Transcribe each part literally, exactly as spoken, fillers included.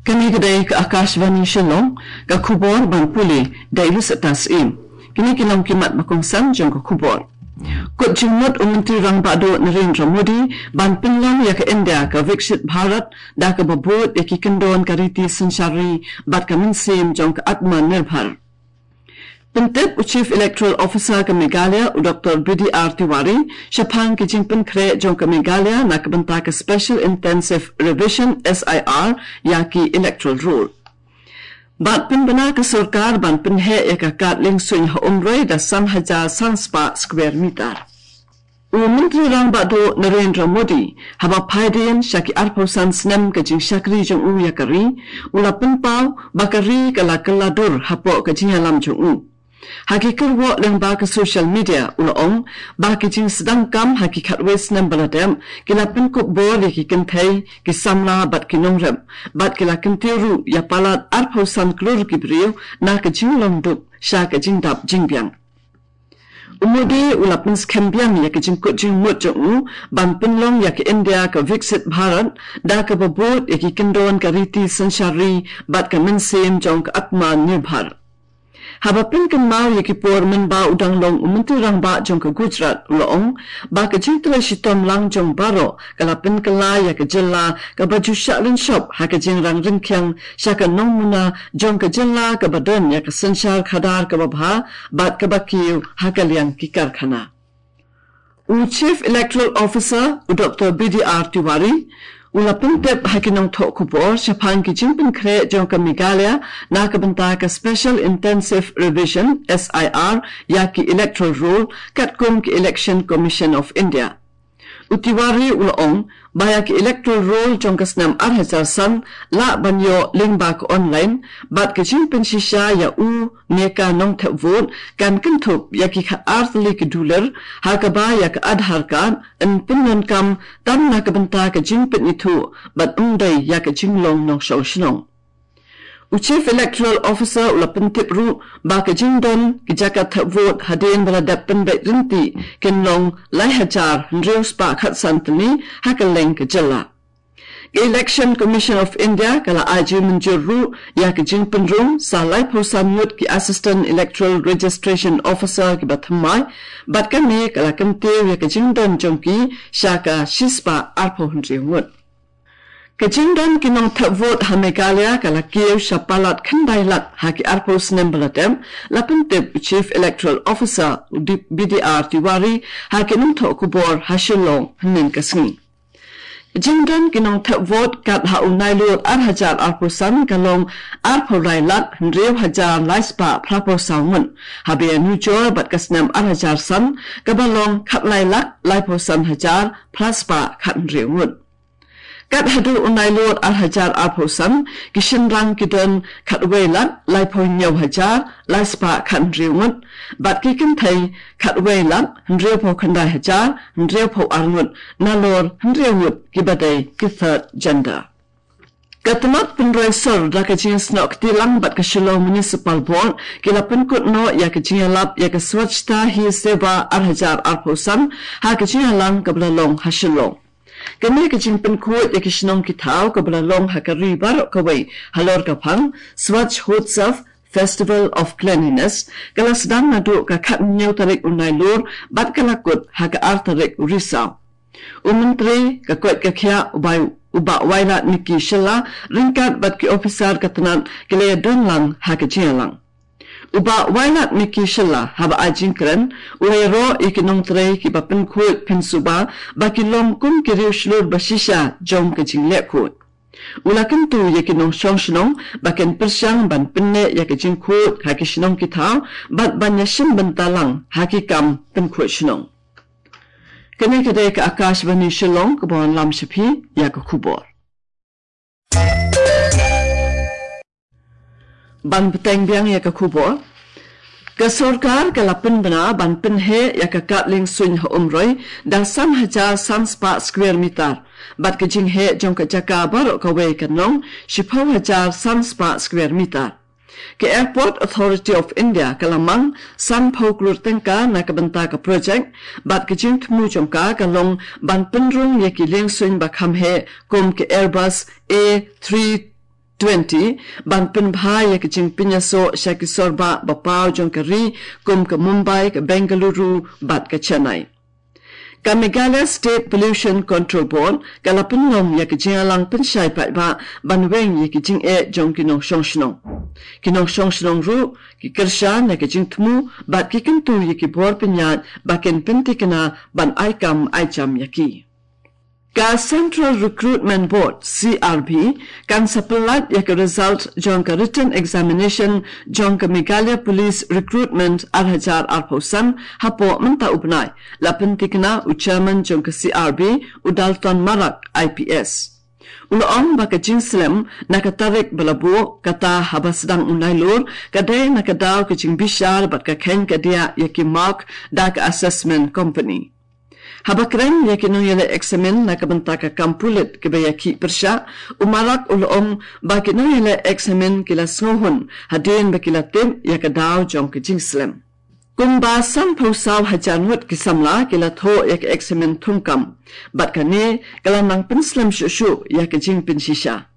Kane ka dei ka Akashvani Shillong, ka khubor ban pule da i Lusata Syiem. Kine ki long ki mat ba kongsan jong ka khubor. Kut jingmut u Myntri Rangbah Duh Narendra Modi ban pynlong ïa ka India ka Viksit Bharat da kaba bud ïa ki kyndon ka riti synshar ri bad ka mynsiem jong ka Atmanirbhar. Pyntip u Chief Electoral Officer ka Meghalaya, u Doctor B D R Tiwari, shaphang ki jingpynkhreh jong ka Meghalaya na ka bynta ka Special Intensive Revision, S I R, ïa ki electoral roll. Bad pynbna ka sorkar ban pynheh ïa ka kad liengsuiñ ha Umroi da san hajar san spah square meter. U Myntri Rangbah Duh Narendra Modi, haba phai dien sha ki arphew san snem ka jingshakri jong u ïa ka ri, u la pynpaw ba ka ri ka la kylla dur hapoh ka jingïalam jong u. Ha ki kyrwoh lyngba ka social media, u la ong ba ki jingsdang kam ha ki khatwei snem ba la dep ki la pynkup bor ïa ki kynthei, ki samla bad ki nongrep, bad ki la kyntiew ruh ïa palat arphew san klur ki briew na ka jinglong duk sha ka jingdap jingbiang. U Modi u la pynskhem biang ïa ka jingkut jingmut jong u ban pynlong ïa ka India ka Viksit Bharat da kaba bud ïa ki kyndon ka riti synshar ri bad ka mynsiem jong ka Atmanirbhar. Haba pynkynmaw ïa ki por mynba u dang long u Myntri Rangbah jong ka Gujarat, u la ong ba ka jingtrei shitom lang jong baroh ka la pynkylla ïa ka jylla kaba ju shah lynshop ha ka jingrang ryngkhiang sha ka nongmuna jong ka jylla kaba don ïa ka synshar khadar kaba bha bad kaba kiew ha ka liang ki karkhana. U Chief Electoral Officer, u Doctor B D R Tiwari, u la pyntip ha ki nongthoh khubor shaphang ki jingpynkhreh jong ka Meghalaya na ka bynta ka Special Intensive Revision, S I R, ïa ki electoral roll katkum ki Election Commission of India. U Tiwari u la ong ba ïa ki electoral roll jong ka snem ar hajar san lah ban ïoh lyngba ka online, bad ka jingpynshisha ïa u ne ka nongthep vote kan kynthup ïa ki khat ar tylli ki dulir, ha kaba ïa ka Aadhaar card yn pyndonkam tang na ka bynta ka jingpynithuh bad ym dei ïa ka jinglong nongshong shnong. U Chief Electoral Officer u la pyntip ruh ba ka jingdon ki jaka thep vote hadien ba la dep pynbeit ryntih kin long lai hajar hynriew spah khatsan tylli ha kylleng ka jylla. Ka Election Commission of India ka la ai jingmynjur ruh ïa ka jingpynrung sa laiphew san ngut ki Assistant Electoral Registration Officer kiba thymmai, bad kane ka la kyntiew ïa ka jingdon jong ki sha ka shispah arphew hynriew ngut. Ka jingdon ki nongthep vote ha Meghalaya ka la kiew sha palat khyndai lak ha ki arphew snem ba la dep, la pyntip u Chief Electoral Officer, u D-, B D R Tiwari, ha ki nongthoh khubor ha Shillong hynnin ka sngi. Jingdon ki nongthep vote kat ha u Nailur ar hajar arphew san ka long arphew lai lak hynriew hajar lai spah phraphew saw ngut, haba ïanujor bad ka snem ar hajar san kaba long khatlai lak laiphew san hajar phra spah khathynriew ngut. Kat haduh u Nailur ar hajar arphew san, ki shynrang ki don khatwei lak laiphew hynñiew hajar lai spah khathynriew ngut, bad ki kynthei khatwei lak hynriewphew khyndai hajar hynriewphew ar ngut, nalor hynriew ngut kiba dei ki third gender. Ka tnat pynroi sor da ka jingsnoh kti lang bad ka Shillong Municipal Board ki la pynkut noh ïa ka jingïalap ïa ka Swachhata Hi Seva ar hajar arphew san ha ka jingïalang kaba la long ha Shillong. Kane ka jingpynkhuid ïa ki shnong ki thaw kaba la long ha ka ri baroh kawei halor ka phang Swachhotsav, Festival of Cleanliness, ka la sdang naduh ka khathynñiew tarik u Nailur bad ka la kut ha ka ar tarik u Risaw. U Myntri ka koit ka khiah u bai, u Bah Wailadmiki Shylla, ryngkat bad ki ophisar ka tnat ki la ïadon lang ha ka jingïalang. U Bah Wailadmiki Shylla haba ai jingkren u la ïaroh ïa ki nongtrei kiba pynkhuid pynsuba ba ki long kum ki riew shlur ba shisha jong ka jingleh khuid. U la kyntu ïa ki nongshong shnong ba kin pyrshang ban pynneh ïa ka jingkhuid ha ki shnong ki thaw bad ban ïashim bynta lang ha ki kam pynkhuid shnong. Kane ka dei ka Akashvani Shillong kaba wanlam sha phi ïa ka khubor. Ban bteng biang ïa ka khubor. Ka sorkar ka la pynbna ban pynheh ïa ka kad liengsuiñ ha Umroi da san hajar san spah square meter. Bad ka jingheh jong ka jaka baroh kawei kan long shiphew hajar san spah square meter. Ka Airport Authority of India ka la mang sanphew klur tyngka na ka bynta ka project, bad ka jingthmu jong ka ka long ban pynrung ïa ki liengsuiñ ba kham heh kum ka Airbus A three twenty, ban pynbha ïa ka jingpynïasoh sha ki sorbah ba paw jong ka ri, kum ka Mumbai, ka Bengaluru, bad ka Chennai. Ka Meghalaya State Pollution Control Board, ka la pynlong ïa ka jingïalang pynshai paidbah, ban weng ïa ki jingeh jong ki nongshong shnong. Ki nongshong shnong ruh, ki kyrshan ïa ka jingthmu, bad ki kyntu ïa ki bor pynïaid, ba kin pyntikna, ban ai kam ai jam ïa ki. Ka Central Recruitment Board, C R B, kan sa pynlait ïa ka result jong ka written examination jong ka Meghalaya Police Recruitment ar hajar arphew san hapoh mynta u bnai, la pyntikna u chairman jong ka C R B, u Dalton Marak, I P S. U la ong ba ka jingslem na ka tarik ba la buh, kata haba sdang u Nailur, ka dei na ka daw ka jingbishar bad ka khein ka diah ïa ki mark da ka assessment company. Haba kren ïa ki nongïaleh eksamin na ka bynta ka kam pulit kiba ïakhih pyrshah, u Marak u la ong ba ki nongïaleh eksamin ki la sngewhun hadien ba ki la tip ïa ka daw jong ka jingslem. Kumba sanphew saw hajar ngut ki samla ki la thoh ïa ka eksamin thungkam, bad kane ka la nang pynslem shuh shuh ïa ka jingpynshisha.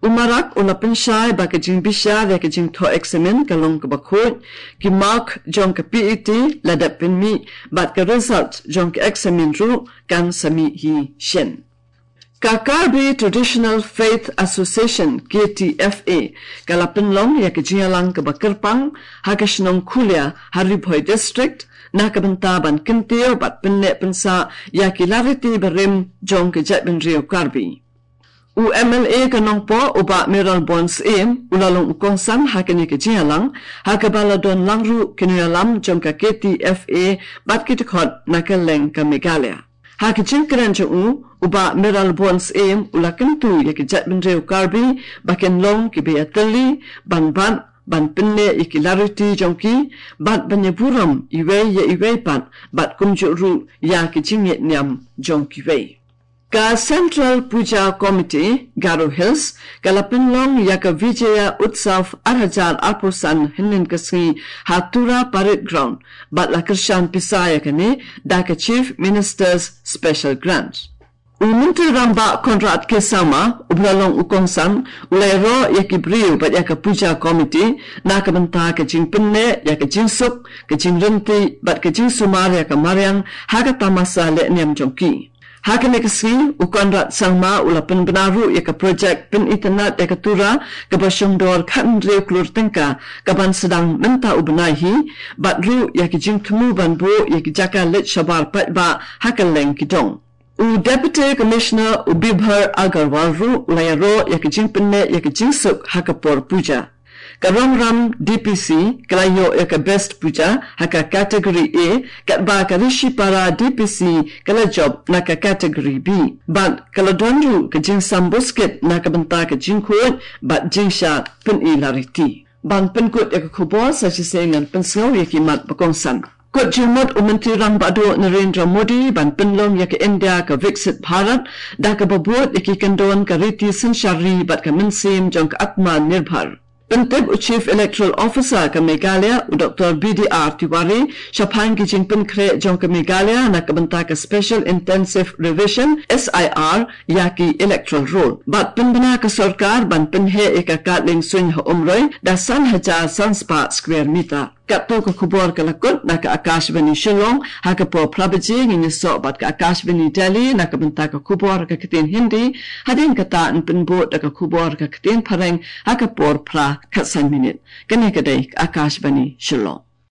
U Marak u la pynshai ba ka jingbishar ïa ka jingthoh eksamin ka long kaba khuid, ki mark jong ka P E T la dep pynmih, bad ka result jong ka eksamin ruh kan sa mih hi shen. Ka Karbi Traditional Faith Association, K T F A, ka la pynlong ïa ka jingïalang kaba kyrpang ha ka shnong Khulia, ha Ri Bhoi District, na ka bynta ban kyntiew bad pynneh pynsah ïa ki lariti barim jong ka jaitbynriew Karbi. U M L A ka Nongpoh, u Bah Mayralborn Syiem, u la long u kongsan ha kane ka jingïalang, ha kaba la don lang ruh ki nongïalam jong ka K T F A bad ki dkhot na kylleng ka Meghalaya. Ha ka jingkren jong u, u Bah Mayralborn Syiem u la kyntu ïa ki jaitbynriew Karbi ba kin long kiba ïatylli, ban bat, ban pynneh ïa ki lariti jong ki, bad ban ïaburom iwei ïa iwei pat, bad kumjuh ruh ïa ki jingngeit niam jong kiwei. Ka Central Puja Committee, Garo Hills, ka la pynlong ïa ka Vijaya Utsav ar hajar arphew san hynnin ka sngi ha Tura Parade Ground, bad la kyrshan pisa ïa kane da ka Chief Minister's Special Grant. U Myntri Rangbah Conrad K Sangma, uba la long u kongsan, u la ïaroh ïa ki briew bad ïa ka Puja Committee na ka bynta ka jingpynneh ïa ka jingsuk, ka jingryntih bad ka jingsumar ïa ka mariang ha ka tamasa lehniam jong ki. Ha kane ka sngi, u Conrad Sangma u la pynbna ruh ïa ka projek pynitynnad ïa ka Tura kaba shongdor khathynriew klur tyngka, kaban sdang mynta u bnai hi, bad ruh ïa ki jingthmu ban buh ïa ki jaka leit shabar paidbah ha kylleng ki dong. U Deputy Commissioner, u Bibhar Agarwal ruh u la ïaroh ïa ka jingpynneh ïa ka jingsuk ha ka por puja. Ka Rongram D P C ka la ïoh ïa ka Best Puja ha ka category A, katba ka Rishipara D P C ka la jop na ka category B. Bad ka la don ruh ka jingsam buskit na ka bynta ka jingkhuid bad jingshad pyni lariti. Ban pynkut ïa ka khubor, sa shisien ngan pynsngew ïa ki mat ba kongsan. Kut jingmut u Myntri Rangbah Duh Narendra Modi ban pynlong ïa ka India ka Viksit Bharat, da kaba bud ïa ki kyndon ka riti synshar ri bad ka mynsiem jong ka Atmanirbhar. Pyntip u Chief Electoral Officer ka Meghalaya, u Doctor B D R Tiwari, shaphang ki jingpynkhreh jong ka Meghalaya na ka bynta ka Special Intensive Revision, S I R, ïa ki electoral roll. Bad pynbna ka sorkar ban pynheh ïa ka kad lieng suiñ ha Umroi da san hajar san spah square meter. Katto ka khubor ka la kut na ka Akashvani Shillong, ha ka por phra baje ngin ïasoh bad ka Akashvani Delhi na ka bynta ka khubor ka ktien Hindi, hadien kata yn pynbud da ka khubor ka ktien Phareng ha ka por phra khatsan minit. Kane ka dei ka Akashvani Shillong.